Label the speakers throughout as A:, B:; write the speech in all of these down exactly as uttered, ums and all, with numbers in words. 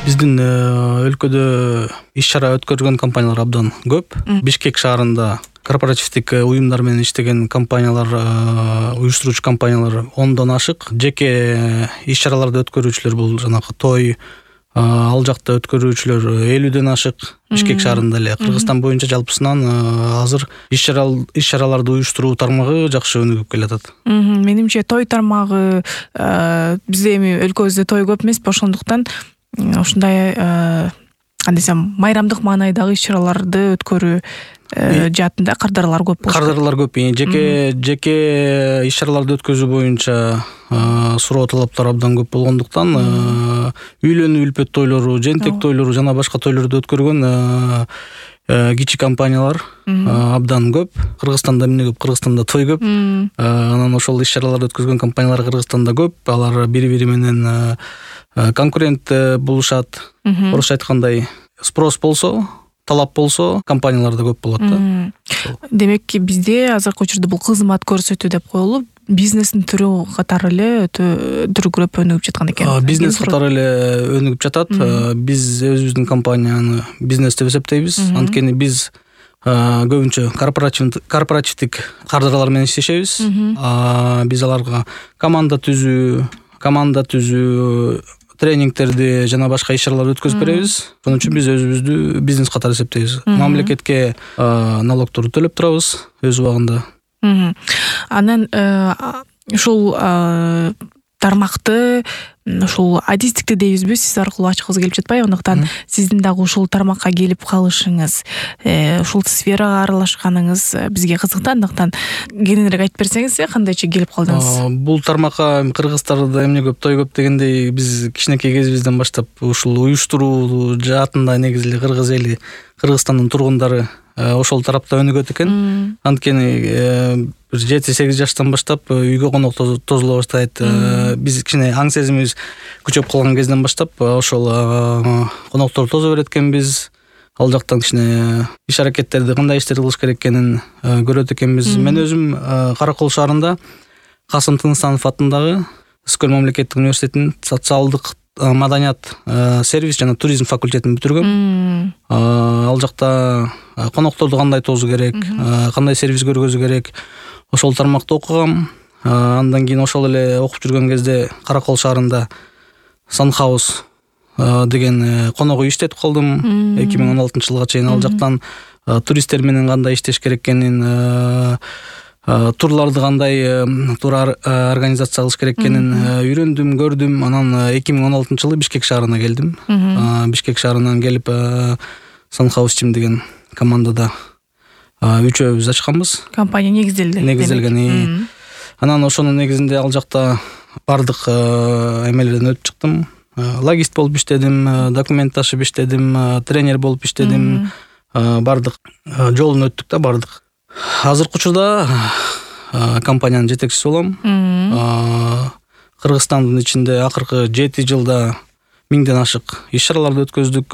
A: Биздин өлкөдө иш-чара өткөргөн компаниялар абдан көп. Бишкек шаарында корпоративдик уюмдар менен иштеген компаниялар, уюштуруучу компаниялар ондон ашык. Жеке иш-чараларды өткөрүүчүлөр бул жанагы той, ал жакта өткөрүүчүлөр элүүдөн ашык. Бишкек шаарында эле Кыргызстан боюнча жалпысынан азыр иш-чараларды уюштуруу тармагы жакшы өнүгүп келатат.
B: Менимче той тармагы бизде эми өлкөбүздө той көп эмес, ошондуктан ушундай кандай десем майрамдык маанайдагы иш-чараларды өткөрүү жаатында кардарлар көп болуш.
A: Кардарлар көп. Жеке жеке иш-чараларды өткөзүү боюнча суроо талаптар абдан көп болгондуктан үйлөнүү үлпөт тойлору, жентек тойлору жана башка тойлорду өткөргөн кичи компаниялар абдан көп. Кыргызстанда эмне көп? Кыргызстанда той көп. Анан ошол иш-чараларды өткөзгөн компаниялар Кыргызстанда көп. Алар бири-бири менен конкурент болушат. Орусча айткандай, спрос болсо, талап болсо, компаниялар да көп болот да.
B: Демек, бизде азыркы учурда бул кызмат көрсөтүү деп коюлуп, бизнестин түрү катары эле өтө дүркүрөп өнүгүп жаткан экен.
A: Бизнес катары эле өнүгүп жатат. Биз өзүбүздүн компанияны бизнес деп эсептейбиз. Анткени биз көбүнчө корпоративдик кардарлар менен иштешебиз. Биз аларга команда түзүү, команда түзүү, тренингтерди жана башка иш-чараларды өткөзүп беребиз. Ошон үчүн биз өзүбүздү бизнес катары эсептейбиз. Мамлекетке налогторду төлөп турабыз өз убагында.
B: Анан ушул тармакты, ушул адистикти дейбизби, сиз аркылуу ачкыбыз келип жатпайбы? Андыктан сиздин дагы ушул тармакка келип калышыңыз, ушул сферага аралашканыңыз бизге кызык да. Андыктан кененирээк айтып берсеңиз, кандайча келип калдыңыз?
A: Бул тармакка кыргыздарда эмне көп, той көп дегендей, биз кичинекей кезибизден баштап ушул уюштуруу жаатында негизи эле кыргыз эли, Кыргызстандын тургундары ошол тарапта өнүгөт экен. Анткени жети-сегиз жаштан баштап үйгө конок тозуло баштайт. Биз кичине аң сезимибиз күчөп калган кезден баштап ошол коноктор тозо берет экенбиз. Ал жактан кичине иш-аракеттерди, кандай иштерди кылыш керек экенин көрөт экенбиз. Мен өзүм Каракол шаарында Касым Тыныстанов атындагы Ыскөл мамлекеттик университетинин социалдык маданият, сервис жана туризм факультетин бүтүргөм. Ал жакта конокторду кандай тосуу керек, кандай сервис көргөзүү керек, ошол тармакта окугам. Андан кийин ошол эле окуп жүргөн кезде Каракол шаарында Санхаус деген конок үй иштетип калдым эки миң он алтынчы жылга чейин. Ал жактан туристтер менен кандай иштеш керек экенин, турларды кандай тур организация кылыш керек экенин үйрөндүм, көрдүм. Анан эки миң он алтынчы жылы Бишкек шаарына келдим. Бишкек шаарынан келип Санхаус Team деген командада үчөөбүз ачканбыз.
B: Компания негизделди.
A: Негизделген. Анан ошонун негизинде ал жакта бардык эмелерден өтүп чыктым. Логист болуп иштедим, документ ташып иштедим, тренер болуп иштедим. Бардык жолун өттүк да, бардык. Азыркы учурда компаниянын жетекчиси болом. Кыргызстандын ичинде акыркы жети жылда миңден ашык иш-чараларды өткөздүк.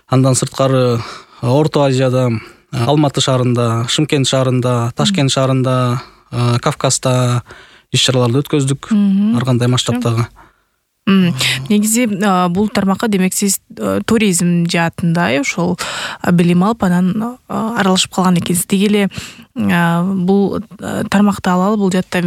A: Андан сырткары Орто Азияда, Алматы шаарында, Шымкент шаарында, Ташкент шаарында, Кавказда иш-чараларды өткөздүк. Ар кандай масштабтагы.
B: Негизи бул тармакка демек сиз туризм жаатында ошол билим алып анан аралашып калган экенсиз. Деги эле бул тармакты алалы, бул жаатта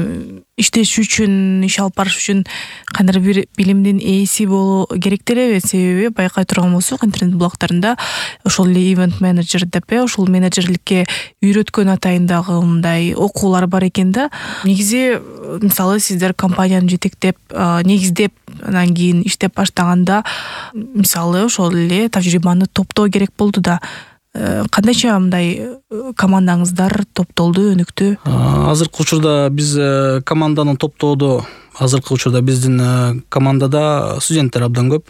B: иштеш үчүн, иш алып барыш үчүн кандайдыр бир билимдин ээси болуу керек делеби? Себеби байкай турган болсок, интернет блогторунда ошол эле ивент менеджер деп, ошол менеджерликке үйрөткөн атайындагы мындай окуулар бар экен да. Негизи мисалы сиздер компанияны жетектеп, негиздеп, анан кийин иштеп баштаганда мисалы ошол эле тажрыйбаны топтоо керек болду да. Кандайча мындай командаңыздар топтолду, өнүктү?
A: Азыркы учурда биз команданы топтоодо, азыркы учурда биздин командада студенттер абдан көп.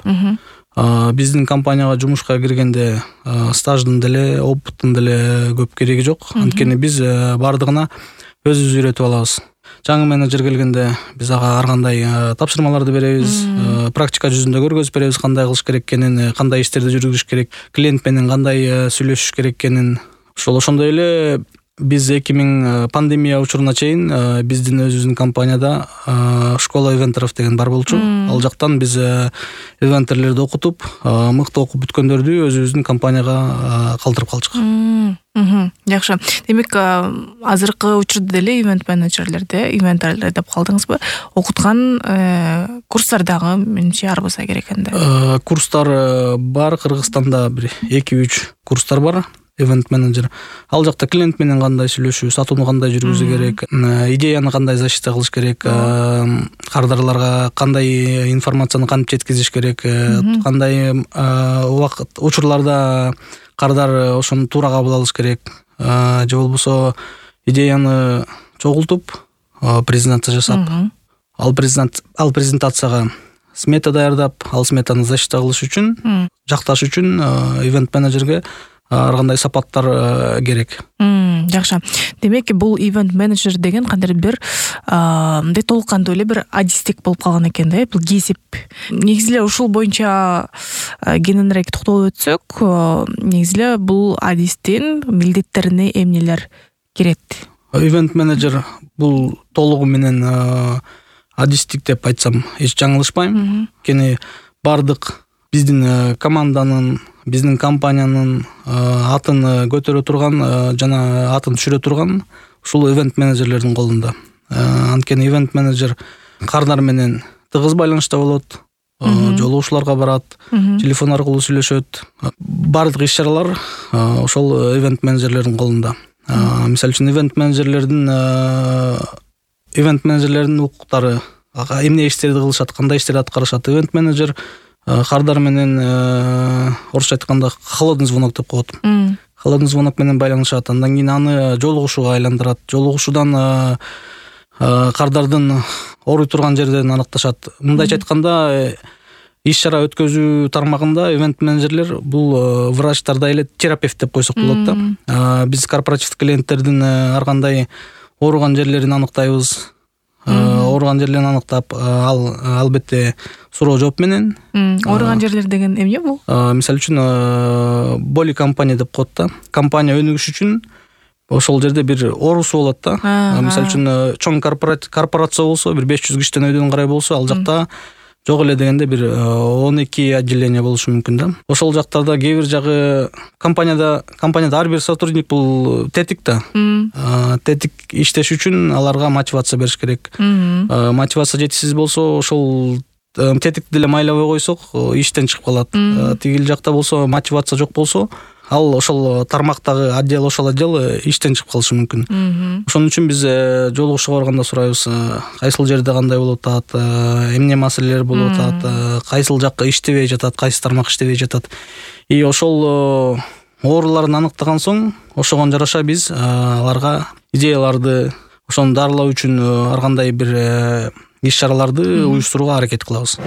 A: Биздин компанияга жумушка киргенде стаждын деле, опыттын деле көп кереги жок. Анткени биз бардыгына өзүбүз үйрөтүп алабыз. Жаңы менеджер келгенде биз ага ар кандай тапшырмаларды беребиз, практика жүзүндө көргөзүп беребиз, кандай кылыш керек экенин, кандай иштерди жүргүзүш керек, клиент менен кандай сүйлөшүш керек экенин. Ошол ошондой эле биз эки миң пандемия учуруна чейин биздин өзүбүздүн компанияда школа ивентеров деген бар болчу. Ал жактан биз ивентерлерди окутуп, мыкты окуп бүткөндөрдү өзүбүздүн компанияга калтырып калчык.
B: Жакшы. Демек, азыркы учурда деле ивент менеджерлерди, ивенттерлер деп калдыңызбы? Окуткан курстар дагы менимче ар болса керек энди.
A: Курстар бар, Кыргызстанда бир эки үч курстар бар. Event менеджер. Ал жакта клиент менен кандай сүйлөшүү, сатууну кандай жүргүзүү керек, идеяны кандай защита кылыш керек, кардарларга кандай информацияны кантип жеткизиш керек, кандай убакыт учурларда кардар ошону туура кабыл алыш керек, же болбосо идеяны чогултуп, презентация жасап, ал презент ал презентацияга смета даярдап, ал сметаны защита кылыш үчүн, жакташ үчүн event менеджерге ар кандай сапаттар керек.
B: Жакшы. Демек, бул ивент менеджер деген кандайдыр бир мындай толук кандуу эле бир адистик болуп калган экен да, бул кесип. Негизи эле ушул боюнча кененирээк токтолуп өтсөк, негизи эле бул адистин милдеттерине эмнелер кирет?
A: Ивент менеджер бул толугу менен адистик деп айтсам эч жаңылышпайм. Кени бардык биздин команданын, биздин компаниянын атын көтөрө турган жана атын түшүрө турган ушул event менеджерлердин колунда. Анткени event менеджер кардар менен тыгыз байланышта болот, жолугушууларга барат, телефон аркылуу сүйлөшөт. Бардык иш-чаралар ошол event менеджерлердин колунда. Мисалы үчүн event менеджерлердин event менеджерлердин укуктары, эмне иштерди кылышат, кандай иштерди аткарышат. Event менеджер кардар менен орусча айтканда холодный звонок деп коет. Холодный звонок менен байланышат. Андан кийин аны жолугушууга айландырат. Жолугушуудан кардардын ооруй турган жерден аныкташат. Мындайча айтканда, иш-чара өткөзүү тармагында event менеджерлер бул врачтарда эле терапевт деп койсок болот да. Биз корпоративдик клиенттердин ар кандай ооруган жерлерин аныктайбыз. Ооруган жерлерин аныктап, ал албетте суроо жооп менен.
B: Ооруган жерлер деген эмне бул?
A: Мисалы үчүн боли компания деп коет да. Компания өнүгүш үчүн ошол жерде бир оорусу болот да. Мисалы үчүн чоң корпорация болсо, бир беш жүз киштен өйдөн карай болсо, ал жакта жок эле дегенде бир он эки отделение болушу мүмкүн да. Ошол жактарда кээ бир жагы компанияда компанияда ар бир сотрудник бул тетик да. Тетик иштеш үчүн аларга мотивация бериш керек. Мотивация жетишсиз болсо, ошол тетикти деле майлабай койсок, иштен чыгып калат. Тигил жакта болсо, мотивация жок болсо, ал ошол тармактагы отдел, ошол отдел иштен чыгып калышы мүмкүн. Ошон үчүн биз жолугушууга барганда сурайбыз, кайсыл жерде кандай болуп атат, эмне маселелер болуп атат, кайсыл жак иштебей жатат, кайсы тармак иштебей жатат. И ошол ооруларын аныктаган соң, ошого жараша биз аларга идеяларды, ошону дарылоо үчүн ар кандай бир иш-чараларды уюштурууга аракет кылабыз.